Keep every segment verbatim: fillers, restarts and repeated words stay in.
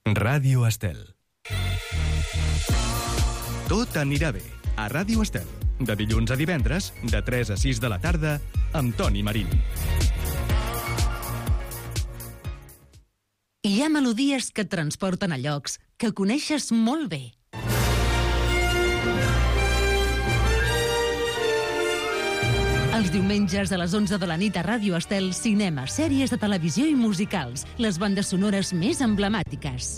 Ràdio Estel. Tot anirà bé a Ràdio Estel. De dilluns a divendres, de tres a sis de la tarda, amb Toni Marín. Hi ha melodies que et transporten a llocs que coneixes molt bé. Els diumenges a les onze de la nit a Ràdio Estel, cinema, sèries de televisió i musicals, les bandes sonores més emblemàtiques.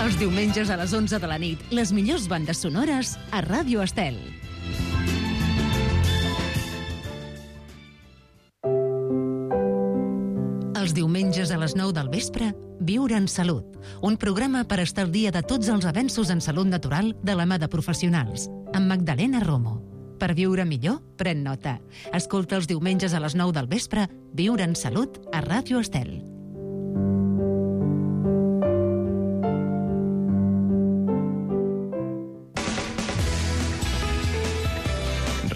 Els diumenges a les onze de la nit, les millors bandes sonores a Ràdio Estel. Els diumenges a les nou del vespre, Viure en Salut, un programa per estar al dia de tots els avenços en salut natural de la mà de professionals, amb Magdalena Romo. Per viure millor, pren nota. Escolta els diumenges a les nou del vespre, Viure en Salut a Ràdio Estel.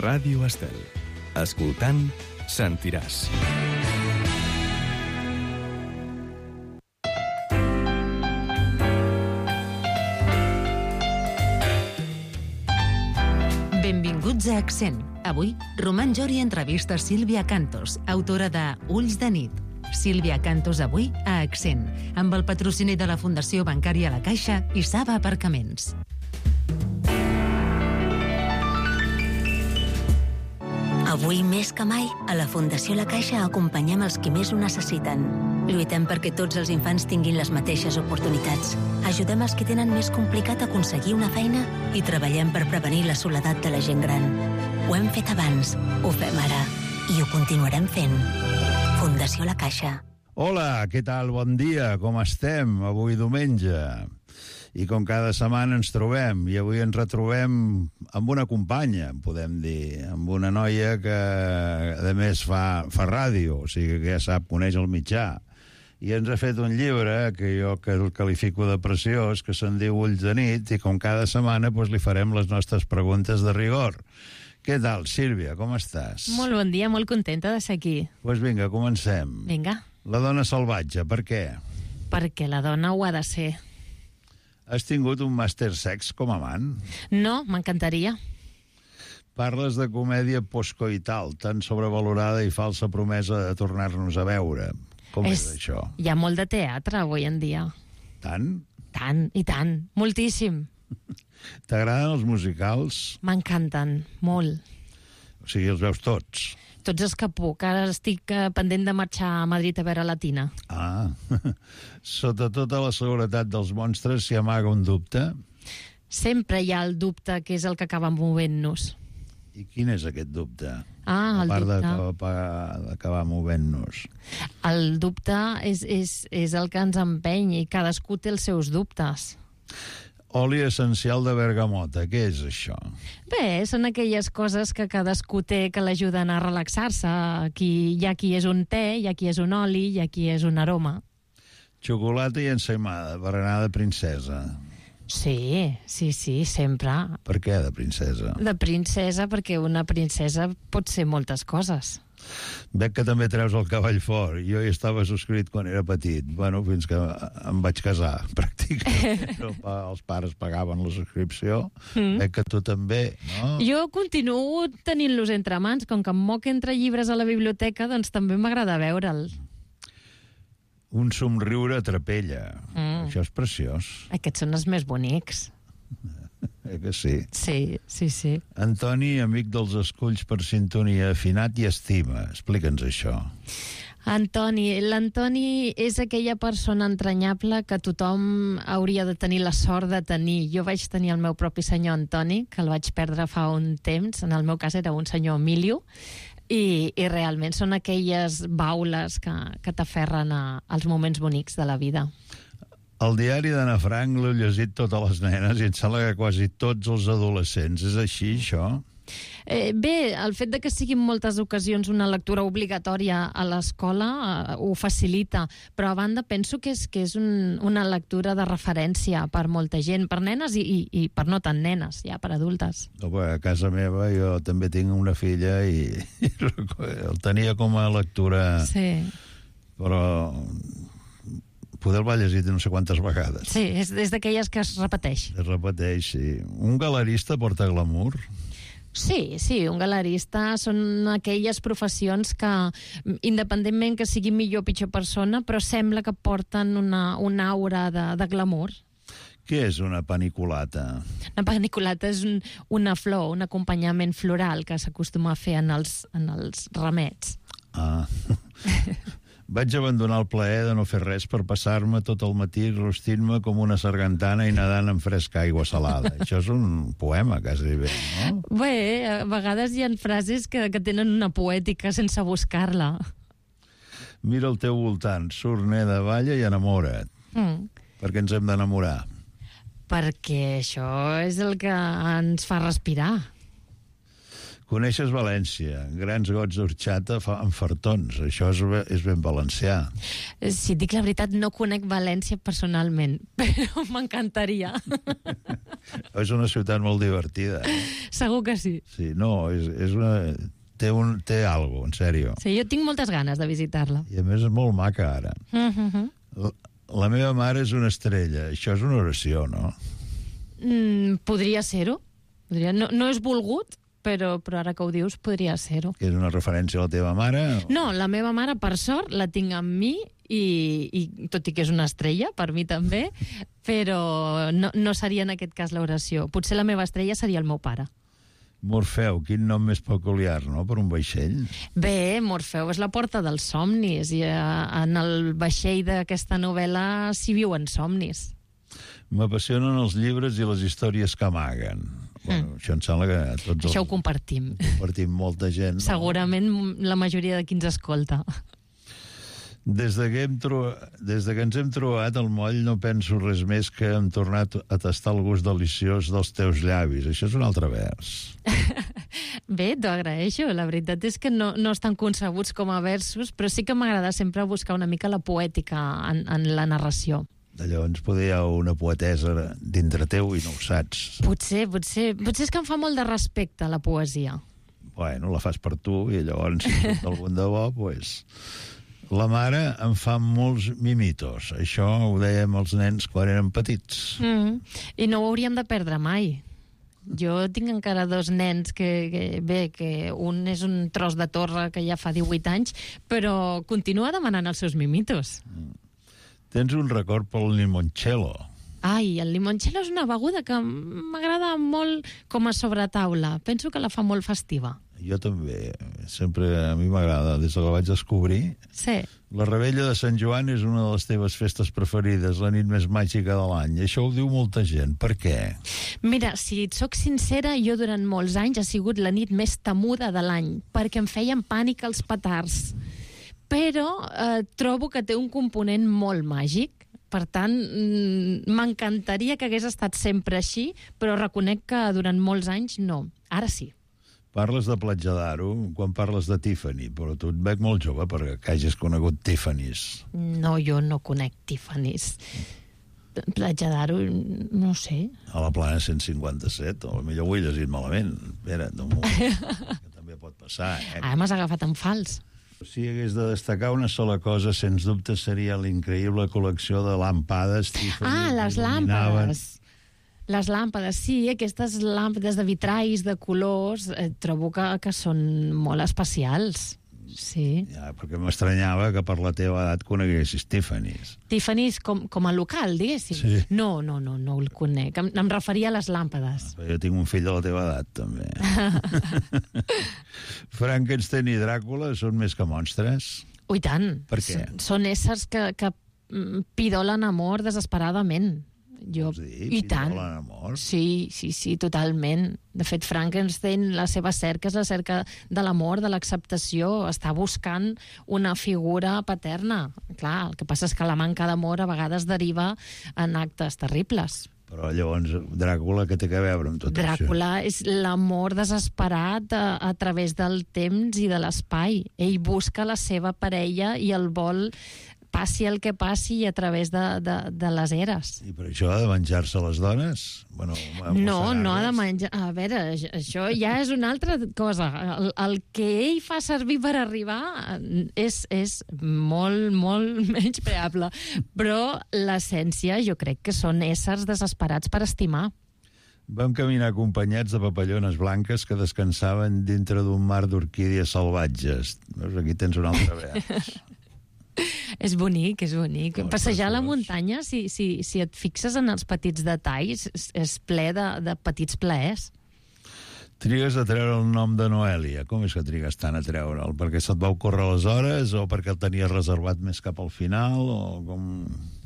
Ràdio Estel. Escoltant, sentiràs. Benvinguts a Accent. Avui, Roman Jori entrevista Sílvia Cantos, autora de Ulls de nit. Sílvia Cantos avui a Accent, amb el patrocini de la Fundació Bancària La Caixa i Saba Aparcaments. Avui més que mai, a la Fundació La Caixa acompanyem els qui més ho necessiten. Lluitem perquè tots els infants tinguin les mateixes oportunitats. Ajudem els que tenen més complicat aconseguir una feina i treballem per prevenir la soledat de la gent gran. Ho hem fet abans, ho fem ara i ho continuarem fent. Fundació La Caixa. Hola, què tal? Bon dia, com estem? Avui diumenge. I com cada setmana ens trobem, i avui ens retrobem amb una companya, podem dir, amb una noia que, a més, fa, fa ràdio, o sigui que ja sap, coneix el mitjà. I ens ha fet un llibre que jo que el qualifico de preciós, que se'n diu Ulls de nit, i com cada setmana doncs, li farem les nostres preguntes de rigor. Què tal, Sílvia, com estàs? Molt bon dia, molt contenta de ser aquí. Doncs pues vinga, comencem. Vinga. La dona salvatge, per què? Perquè la dona ho ha de ser. Has tingut un màster sex com a amant? No, m'encantaria. Parles de comèdia postcoital, tan sobrevalorada i falsa promesa de tornar-nos a veure. Com és, és això? Hi ha molt de teatre avui en dia. Tant? Tant, i tant. Moltíssim. T'agraden els musicals? M'encanten, molt. O sigui, els veus tots? Tots els que puc. Ara estic pendent de marxar a Madrid a veure Latina. Ah, sota tota la seguretat dels monstres s'hi amaga un dubte? Sempre hi ha el dubte, que és el que acaba movent-nos. I quin és aquest dubte? Ah, el dubte. A dubte. part d'acabar movent-nos. El dubte és, és, és el que ens empeny i cadascú té els seus dubtes. Oli essencial de bergamota, què és això? Bé, són aquelles coses que cadascú té que l'ajuden a relaxar-se. Aquí, hi ha qui és un te, hi ha qui és un oli, hi ha qui és un aroma. Xocolata i ensaïmada, berenada de princesa. Sí, sí, sí, sempre. Per què de princesa? De princesa, perquè una princesa pot ser moltes coses. Veig que també treus el cavall fort. Jo hi estava subscrit quan era petit. Bueno, fins que em vaig casar, pràcticament. Els pares pagaven la subscripció. Mm. Veig que tu també, no? Jo continuo tenint-los entre mans. Com que em moc entre llibres a la biblioteca, doncs també m'agrada veure'l. Un somriure atrapella. Mm. Això és preciós. Aquests són els més bonics. Eh que sí? Sí, sí, sí. Antoni, amic dels esculls per sintonia, afinat i estima. Explica'ns això. Antoni, l'Antoni és aquella persona entranyable que tothom hauria de tenir la sort de tenir. Jo vaig tenir el meu propi senyor Antoni, que el vaig perdre fa un temps. En el meu cas era un senyor Emilio. I, i realment són aquelles baules que, que t'aferren als moments bonics de la vida. El diari d'Anna Frank l'he llegit totes les nenes i em sembla que quasi tots els adolescents. És així, això? Eh, bé, el fet de que sigui en moltes ocasions una lectura obligatòria a l'escola eh, ho facilita, però a banda penso que és, que és un, una lectura de referència per molta gent, per nenes i, i, i per no tan nenes, ja per adultes. No, a casa meva jo també tinc una filla i, i el tenia com a lectura, Sí. però poder el va llegir no sé quantes vegades. Sí, és, és d'aquelles que es repeteix. Es repeteix, sí. Un galerista porta glamour? Sí, sí, un galerista són aquelles professions que, independentment que sigui millor o pitjor persona, però sembla que porten una, una aura de, de glamour. Què és una paniculata? Una paniculata és un, una flor, un acompanyament floral que s'acostuma a fer en els, en els remets. Ah... Vaig abandonar el plaer de no fer res per passar-me tot el matí rostint-me com una sargantana i nedant en fresca aigua salada. Això és un poema, quasi bé, no? Bé, a vegades hi ha frases que, que tenen una poètica sense buscar-la. Mira al teu voltant, surt, neda, balla i enamora't. Mm. Per què ens hem d'enamorar? Perquè això és el que ens fa respirar. Coneixes València, grans gots d'orxata amb fartons. Això és, és ben valencià. Si et dic la veritat, no conec València personalment, però m'encantaria. És una ciutat molt divertida. Eh? Segur que sí. Sí, no, és, és una... Té, un, té algo, en sèrio. Sí, jo tinc moltes ganes de visitar-la. I a més és molt maca, ara. Mm-hmm. La, la meva mare és una estrella. Això és una oració, no? Mm, podria ser-ho. Podria... No, no és volgut, Però, però ara que ho dius, podria ser-ho. És una referència a la teva mare? O... No, la meva mare, per sort, la tinc amb mi, i, i tot i que és una estrella, per mi també, però no, no seria en aquest cas l'oració. Potser la meva estrella seria el meu pare. Morfeu, quin nom més peculiar, no?, per un vaixell. Bé, Morfeu és la porta dels somnis, i eh, en el vaixell d'aquesta novel·la s'hi viuen somnis. M'apassionen els llibres i les històries que amaguen. Bueno, Mm. això em sembla que tots Això ho els... compartim. compartim molta gent. No? Segurament la majoria de qui ens escolta. Des de, que hem tro... Des de que ens hem trobat al moll no penso res més que hem tornat a tastar el gust deliciós dels teus llavis. Això és un altre vers. Bé, t'ho agraeixo. La veritat és que no, no estan concebuts com a versos, però sí que m'agrada sempre buscar una mica la poètica en, en la narració. Llavors poder hi ha una poetesa dintre teu i no ho saps. Potser, potser, potser és que em fa molt de respecte la poesia. Bueno, la fas per tu i llavors si surt algun de bo, pues... La mare em fa molts mimitos. Això ho dèiem els nens quan eren petits. Mm. I no ho hauríem de perdre mai. Jo tinc encara dos nens que, que, bé, que un és un tros de torre que ja fa divuit anys, però continua demanant els seus mimitos. Mm. Tens un record pel limoncello. Ai, el limoncello és una beguda que m'agrada molt com a sobretaula. Penso que la fa molt festiva. Jo també. Sempre a mi m'agrada, des que la vaig descobrir. Sí. La Rebella de Sant Joan és una de les teves festes preferides, la nit més màgica de l'any. Això ho diu molta gent. Per què? Mira, si et soc sincera, jo durant molts anys ha sigut la nit més temuda de l'any, perquè em feien pànic els petards. Però eh, trobo que té un component molt màgic. Per tant, m'encantaria que hagués estat sempre així, però reconec que durant molts anys no. Ara sí. Parles de Platja d'Aro quan parles de Tiffany, però tu et veig molt jove perquè que hagis conegut Tiffany's. No, jo no conec Tiffany's. Platja d'Aro, no sé. A la plana cent cinquanta-set, o potser ho he llegit malament. Espera, un moment, que també pot passar, eh? Ara m'has agafat en fals. Si hagués de destacar una sola cosa, sens dubte seria l'increïble col·lecció de làmpades Tiffany. Ah, les làmpades. Les làmpades, sí, aquestes làmpades de vitralls, de colors, eh, trobo que, que són molt especials. Sí. Ja, perquè m'estranyava que per la teva edat coneguessis Tiffany's. Tiffany's com, com a local, diguéssim? Sí. No, no, no, no el conec. Em, em referia a les làmpades. Ah, jo tinc un fill de la teva edat, també. Frankenstein i Dràcula són més que monstres? Ui, tant. Per què? S són éssers que, que pidolen amor desesperadament. Jo, Vols dir? i tant. Pidolen amor? Sí, sí, sí, totalment. De fet, Frankenstein, la seva cerca és la cerca de l'amor, de l'acceptació. Està buscant una figura paterna. Clar, el que passa és que la manca d'amor a vegades deriva en actes terribles. Però llavors, Dràcula, què té a veure amb tot Dràcula això? és l'amor desesperat a, a través del temps i de l'espai. Ell busca la seva parella i el vol, passi el que passi, a través de, de, de les eres. I per això ha de menjar-se les dones? Bueno, no, no ha de menjar... A veure, això ja és una altra cosa. El, el que ell fa servir per arribar és, és molt, molt menyspreable. Però l'essència jo crec que són éssers desesperats per estimar. Vam caminar acompanyats de papallones blanques que descansaven dintre d'un mar d'orquídies salvatges. Veus, aquí tens un altre vers. És bonic, és bonic. Oh, Passejar a la preciós. muntanya, si, si, si et fixes en els petits detalls, és, és ple de, de petits plaers. Trigues a treure el nom de Noèlia. Com és que trigues tant a treure'l? Perquè se't va ocórrer aleshores o perquè el tenies reservat més cap al final? O com...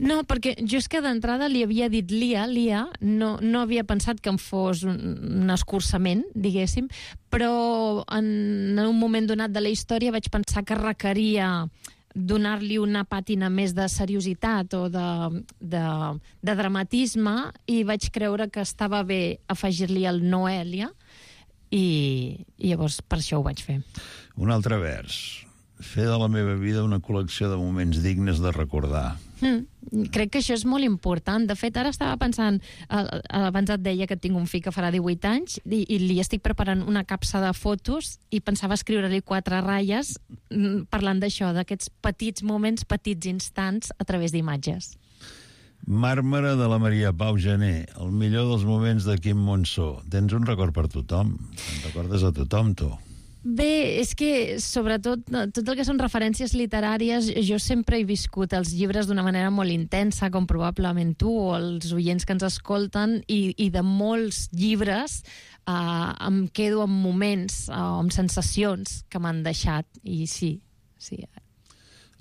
No, perquè jo és que d'entrada li havia dit Lia, Lia, no, no havia pensat que em fos un, un escurçament, diguéssim, però en un moment donat de la història vaig pensar que requeria donar-li una pàtina més de seriositat o de, de, de dramatisme, i vaig creure que estava bé afegir-li el Noèlia, i, i llavors per això ho vaig fer. Un altre vers. Fer de la meva vida una col·lecció de moments dignes de recordar. Mm, crec que això és molt important. De fet, ara estava pensant, eh, abans et deia que tinc un fill que farà divuit anys i, i li estic preparant una capsa de fotos i pensava escriure-li quatre ratlles mm, parlant d'això, d'aquests petits moments, petits instants a través d'imatges. Màrmara de la Maria Pau Gené, el millor dels moments de Quim Monzó. Tens un record per tothom. Te'n recordes a tothom, tu. Bé, és que, sobretot, tot el que són referències literàries, jo sempre he viscut els llibres d'una manera molt intensa, com probablement tu o els oients que ens escolten, i, i de molts llibres eh, em quedo amb moments, eh, amb sensacions que m'han deixat, i sí, sí.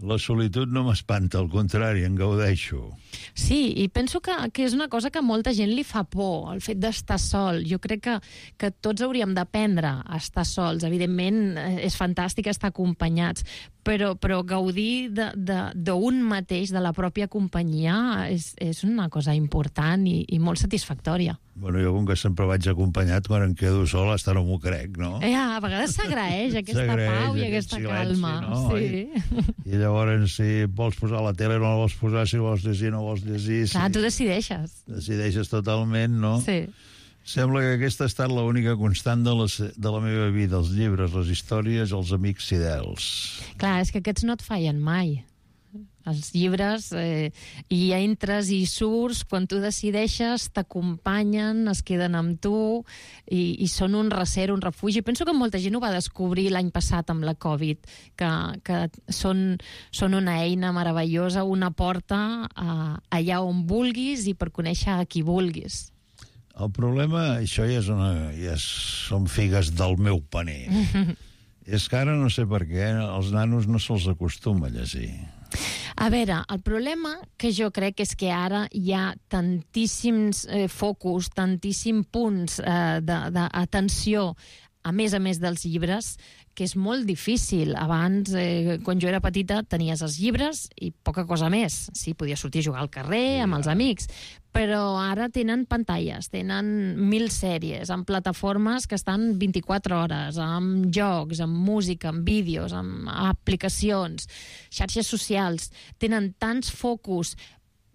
La solitud no m'espanta, al contrari, en gaudeixo. Sí, i penso que, que és una cosa que a molta gent li fa por, el fet d'estar sol. Jo crec que, que tots hauríem d'aprendre a estar sols. Evidentment, és fantàstic estar acompanyats, però, però gaudir d'un mateix, de la pròpia companyia, és, és una cosa important i, i molt satisfactòria. Bueno, jo, com que sempre vaig acompanyat, quan em quedo sol, hasta no m'ho crec, no? Eh, a vegades s'agraeix aquesta pau i aquesta silenci, calma. no? Sí. I, I llavors, si vols posar la tele, no la vols posar, si vols llegir, no vols llegir. Clar, si... tu decideixes. Decideixes totalment, no? Sí. Sembla que aquesta ha estat l'única constant de la, de la meva vida, els llibres, les històries, els amics fidels. Clar, és que aquests no et fallen mai. Els llibres, eh, hi entres i surts, quan tu decideixes, t'acompanyen, es queden amb tu, i, i són un recer, un refugi. Penso que molta gent ho va descobrir l'any passat amb la Covid, que, que són, són una eina meravellosa, una porta a, allà on vulguis i per conèixer a qui vulguis. El problema, això ja, és una, ja són figues del meu paner. És que ara no sé per què els nanos no se'ls acostuma a llegir. A veure, el problema que jo crec és que ara hi ha tantíssims eh, focus, tantíssims punts eh, d'atenció, a més a més dels llibres, que és molt difícil. Abans, eh, quan jo era petita, tenies els llibres i poca cosa més. Sí, podies sortir a jugar al carrer amb els amics, però ara tenen pantalles, tenen mil sèries, amb plataformes que estan vint-i-quatre hores, amb jocs, amb música, amb vídeos, amb aplicacions, xarxes socials. Tenen tants focus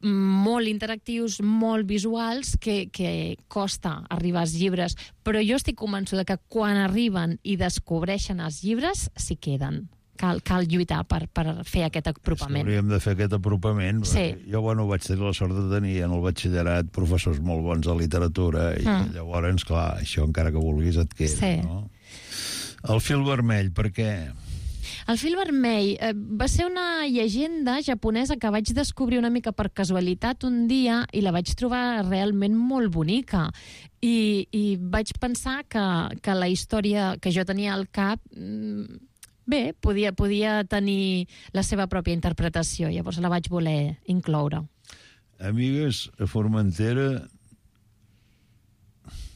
molt interactius, molt visuals, que, que costa arribar als llibres. Però jo estic convençuda que quan arriben i descobreixen els llibres, s'hi queden. Cal, cal lluitar per, per fer aquest apropament. Hauríem de fer aquest apropament. Sí. Jo, bueno, vaig tenir la sort de tenir en el batxillerat professors molt bons de literatura, i mm. llavors, clar, això encara que vulguis et queda, sí. no? El fil vermell, per què? El fil vermell eh, va ser una llegenda japonesa que vaig descobrir una mica per casualitat un dia i la vaig trobar realment molt bonica. I, i vaig pensar que, que la història que jo tenia al cap, bé, podia, podia tenir la seva pròpia interpretació. Llavors la vaig voler incloure. Amigues, a Formentera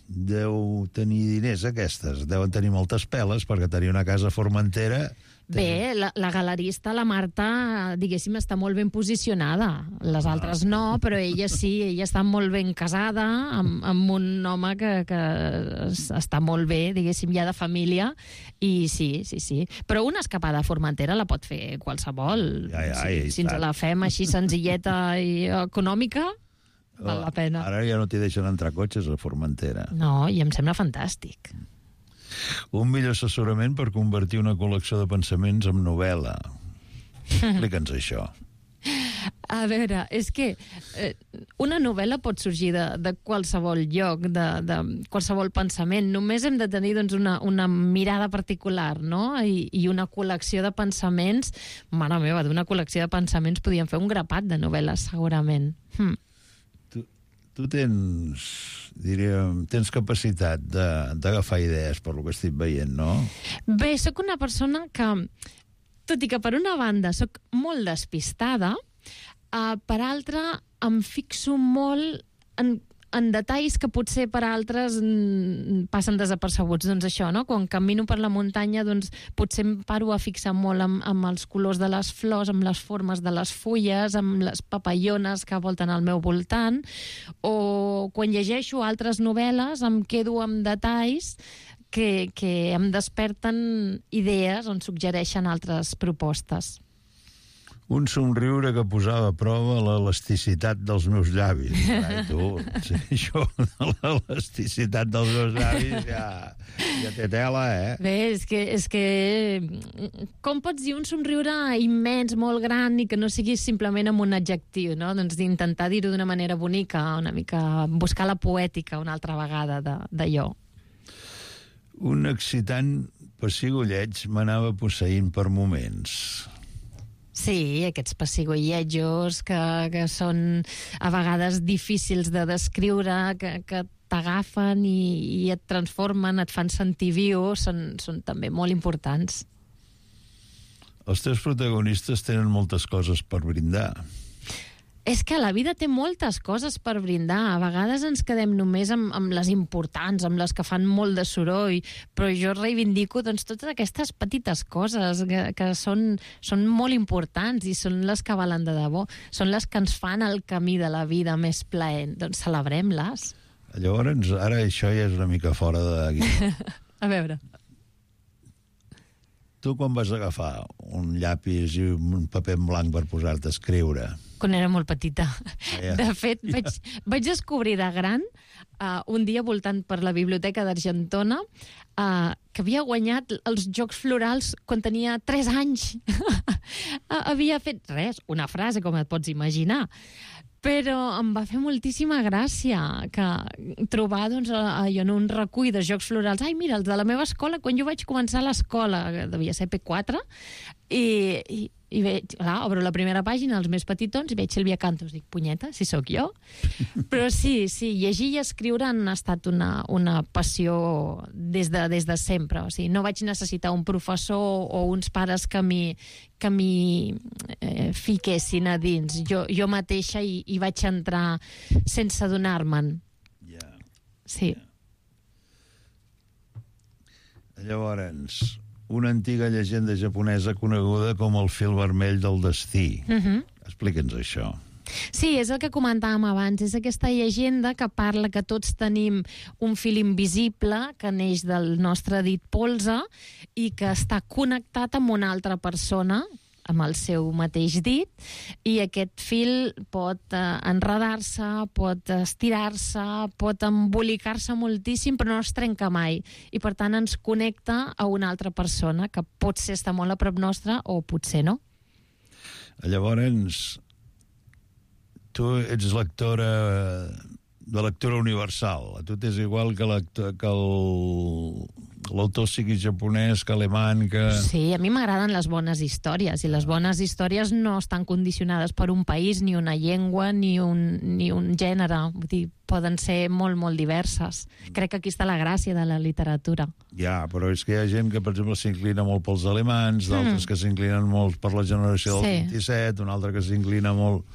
deu tenir diners aquestes, deuen tenir moltes peles, perquè tenir una casa a Formentera Bé, la, la galerista, la Marta, diguéssim, està molt ben posicionada. Les altres no, però ella sí, ella està molt ben casada amb, amb un home que, que està molt bé, diguéssim, ja de família, i sí, sí, sí. Però una escapada a Formentera la pot fer qualsevol. Ja, ja, si, si ens la fem així senzilleta i econòmica, val la pena. Ara ja no t'hi deixen entrar cotxes a Formentera. No, i em sembla fantàstic. Un millor assessorament per convertir una col·lecció de pensaments en novel·la. Explica'ns això. A veure, és que eh, una novel·la pot sorgir de, de qualsevol lloc, de, de qualsevol pensament. Només hem de tenir doncs, una, una mirada particular, no? I, i una col·lecció de pensaments. Mare meva, d'una col·lecció de pensaments podíem fer un grapat de novel·les, segurament. Hm. Tu, tu tens, diríem, tens capacitat d'agafar idees per lo que estic veient, no? Bé, sóc una persona que, tot i que per una banda sóc molt despistada, Uh, per altra, em fixo molt en, en detalls que potser per altres mm, passen desapercebuts. Doncs això, no? Quan camino per la muntanya, doncs potser em paro a fixar molt amb, amb els colors de les flors, amb les formes de les fulles, amb les papallones que volten al meu voltant, o quan llegeixo altres novel·les em quedo amb detalls que, que em desperten idees on suggereixen altres propostes. Un somriure que posava a prova l'elasticitat dels meus llavis. Ai, tu, sí, això de l'elasticitat dels meus llavis ja, ja té tela, eh? Bé, és que, és que... Com pots dir un somriure immens, molt gran, i que no sigui simplement amb un adjectiu, no? Doncs d'intentar dir-ho d'una manera bonica, una mica buscar la poètica una altra vegada d'allò. Un excitant pessigolleig m'anava posseint per moments. Sí, aquests pessigolletjos que, que són a vegades difícils de descriure, que, que t'agafen i, i et transformen, et fan sentir viu, són, són també molt importants. Els teus protagonistes tenen moltes coses per brindar. És que la vida té moltes coses per brindar. A vegades ens quedem només amb, amb les importants, amb les que fan molt de soroll, però jo reivindico doncs, totes aquestes petites coses que, que són, són molt importants i són les que valen de debò. Són les que ens fan el camí de la vida més plaent. Doncs celebrem-les. Llavors, ara això ja és una mica fora d'aquí. A veure... Tu quan vas agafar un llapis i un paper en blanc per posar-te a escriure? Quan era molt petita. Ja. De fet, vaig, vaig descobrir de gran, uh, un dia voltant per la Biblioteca d'Argentona, uh, que havia guanyat els Jocs Florals quan tenia tres anys. Havia fet res, una frase, com et pots imaginar. Però em va fer moltíssima gràcia que trobar doncs, allò en un recull de jocs florals. Ai, mira, els de la meva escola, quan jo vaig començar l'escola, devia ser P quatre, i, i, i veig, clar, obro la primera pàgina, els més petitons, i veig Sílvia Cantos. Dic, punyeta, si sóc jo? Però sí, sí, llegir i escriure han estat una, una passió des de, des de sempre. O sigui, no vaig necessitar un professor o uns pares que m'hi que m'hi eh, fiquessin a dins. Jo, jo mateixa hi, hi vaig entrar sense adonar-me'n. Ja. Sí. Ja. Llavors, una antiga llegenda japonesa coneguda com el fil vermell del destí. Uh-huh. Explica'ns això. Sí, és el que comentàvem abans. És aquesta llegenda que parla que tots tenim un fil invisible que neix del nostre dit polze i que està connectat amb una altra persona, amb el seu mateix dit, i aquest fil pot eh, enredar-se, pot estirar-se, pot embolicar-se moltíssim, però no es trenca mai. I, per tant, ens connecta a una altra persona que potser està molt a prop nostra o potser no. Llavors, tu ets lectora de lectura universal. A tu t'és igual que l'autor sigui japonès, que alemany, que... Sí, a mi m'agraden les bones històries, i les bones històries no estan condicionades per un país, ni una llengua, ni un, ni un gènere. Vull dir, poden ser molt, molt diverses. Crec que aquí està la gràcia de la literatura. Ja, però és que hi ha gent que, per exemple, s'inclina molt pels alemans, d'altres mm. que s'inclinen molt per la generació del sí. vint-i-set, una altra que s'inclina molt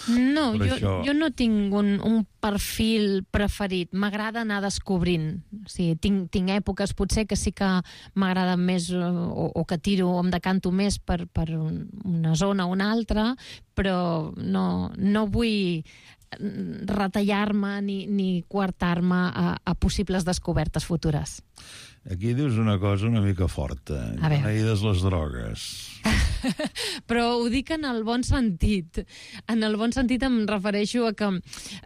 No, Per jo, això... jo no tinc un, un perfil preferit. M'agrada anar descobrint. O sigui, tinc, tinc èpoques potser que sí que m'agrada més o, o que tiro, o em decanto més per, per una zona o una altra, però no, no vull retallar-me ni, ni coartar-me a, a possibles descobertes futures. Aquí dius una cosa una mica forta. Beneïdes les drogues. Però ho dic en el bon sentit. En el bon sentit em refereixo a que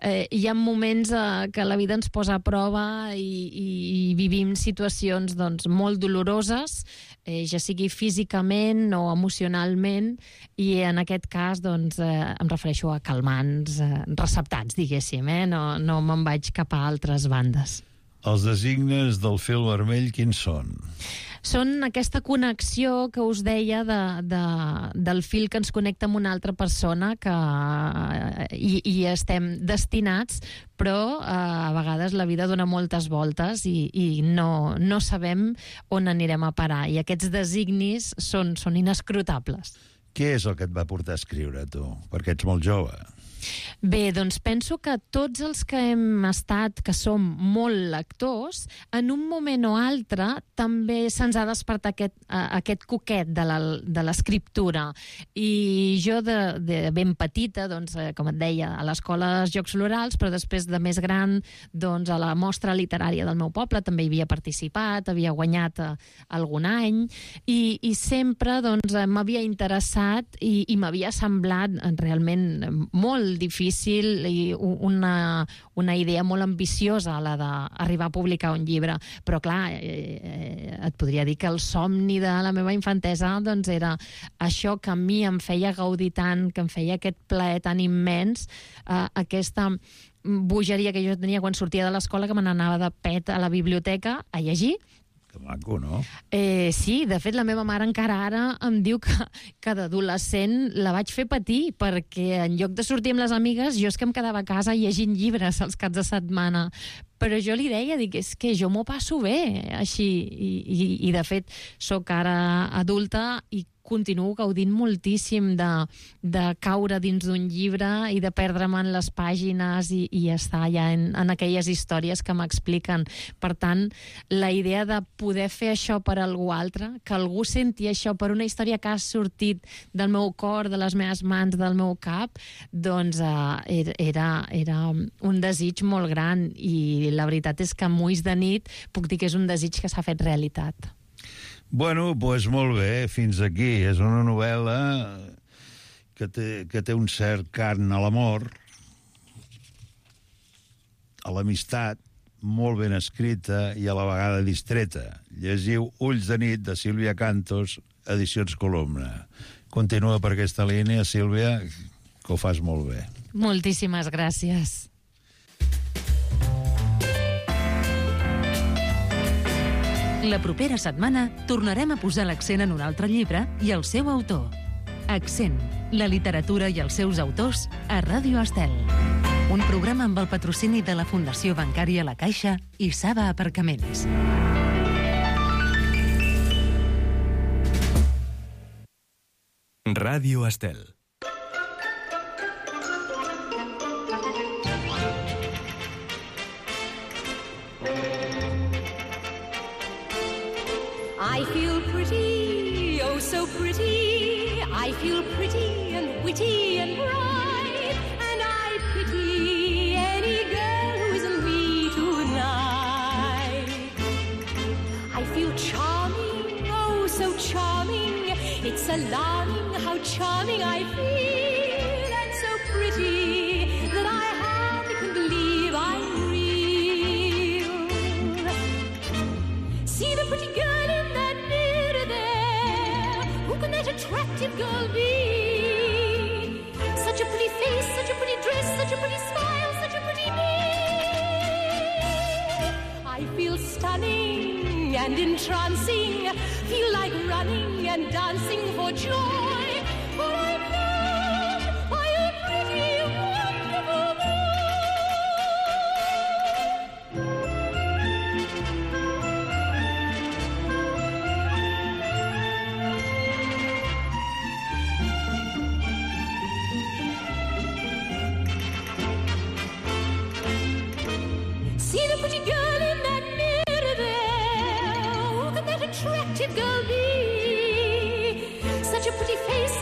eh, hi ha moments eh, que la vida ens posa a prova i, i, i vivim situacions doncs, molt doloroses, eh, ja sigui físicament o emocionalment, i en aquest cas doncs, eh, em refereixo a calmants eh, receptats, diguéssim, eh? no, no me'n vaig cap a altres bandes. Els designes del fil vermell, quins són? Són aquesta connexió que us deia de, de, del fil que ens connecta amb una altra persona que i, i estem destinats, però eh, a vegades la vida dona moltes voltes i, i no, no sabem on anirem a parar. I aquests designis són, són inescrutables. Què és el que et va portar a escriure, tu? Perquè ets molt jove. Bé, doncs penso que tots els que hem estat, que som molt lectors, en un moment o altre també se'ns ha despertat aquest, aquest coquet de l'escriptura. I jo de, de ben petita, doncs, com et deia, a l'escola dels Jocs Florals, però després de més gran, doncs, a la mostra literària del meu poble també hi havia participat, havia guanyat algun any, i, i sempre doncs, m'havia interessat i, i m'havia semblat realment molt difícil i una, una idea molt ambiciosa la d'arribar a publicar un llibre. Però clar, eh, et podria dir que el somni de la meva infantesa doncs, era això que a mi em feia gaudir tant, que em feia aquest plaer tan immens, eh, aquesta bogeria que jo tenia quan sortia de l'escola, que me n'anava de pet a la biblioteca a llegir. Que maco, no? Eh, sí, de fet, la meva mare encara ara em diu que, que d'adolescent la vaig fer patir, perquè en lloc de sortir amb les amigues, jo és que em quedava a casa llegint llibres els caps de setmana. Però jo li deia, dic, és que jo m'ho passo bé, així. I, i, i de fet, sóc ara adulta i continuo gaudint moltíssim de, de caure dins d'un llibre i de perdre'm en les pàgines i, i estar ja en, en aquelles històries que m'expliquen. Per tant, la idea de poder fer això per a algú altre, que algú senti això per una història que ha sortit del meu cor, de les meves mans, del meu cap, doncs eh, era, era un desig molt gran, i la veritat és que Mulls de nit puc dir que és un desig que s'ha fet realitat. Bueno, doncs molt bé, fins aquí. És una novel·la que té, que té un cert carn a l'amor, a l'amistat, molt ben escrita i a la vegada distreta. Llegiu Ulls de nit, de Sílvia Cantos, Edicions Columna. Continua per aquesta línia, Sílvia, que ho fas molt bé. Moltíssimes gràcies. La propera setmana tornarem a posar l'accent en un altre llibre i el seu autor. Accent, la literatura i els seus autors a Ràdio Estel. Un programa amb el patrocini de la Fundació Bancària La Caixa i Saba Aparcaments. Ràdio Estel. I feel pretty, oh so pretty. I feel pretty and witty and bright, and I pity any girl who isn't me tonight. I feel charming, oh so charming. It's alarming how charming I feel, and so pretty that I hardly can believe I'm real. See the pretty girl in that mirror there. Who can that attractive girl be? Such a pretty face, such a pretty dress, such a pretty smile, such a pretty me. I feel stunning and entrancing, feel like running and dancing for joy, for I'm loved by a pretty, wonderful boy. pretty girl in that mirror there. Who can that attractive girl be? Such a pretty face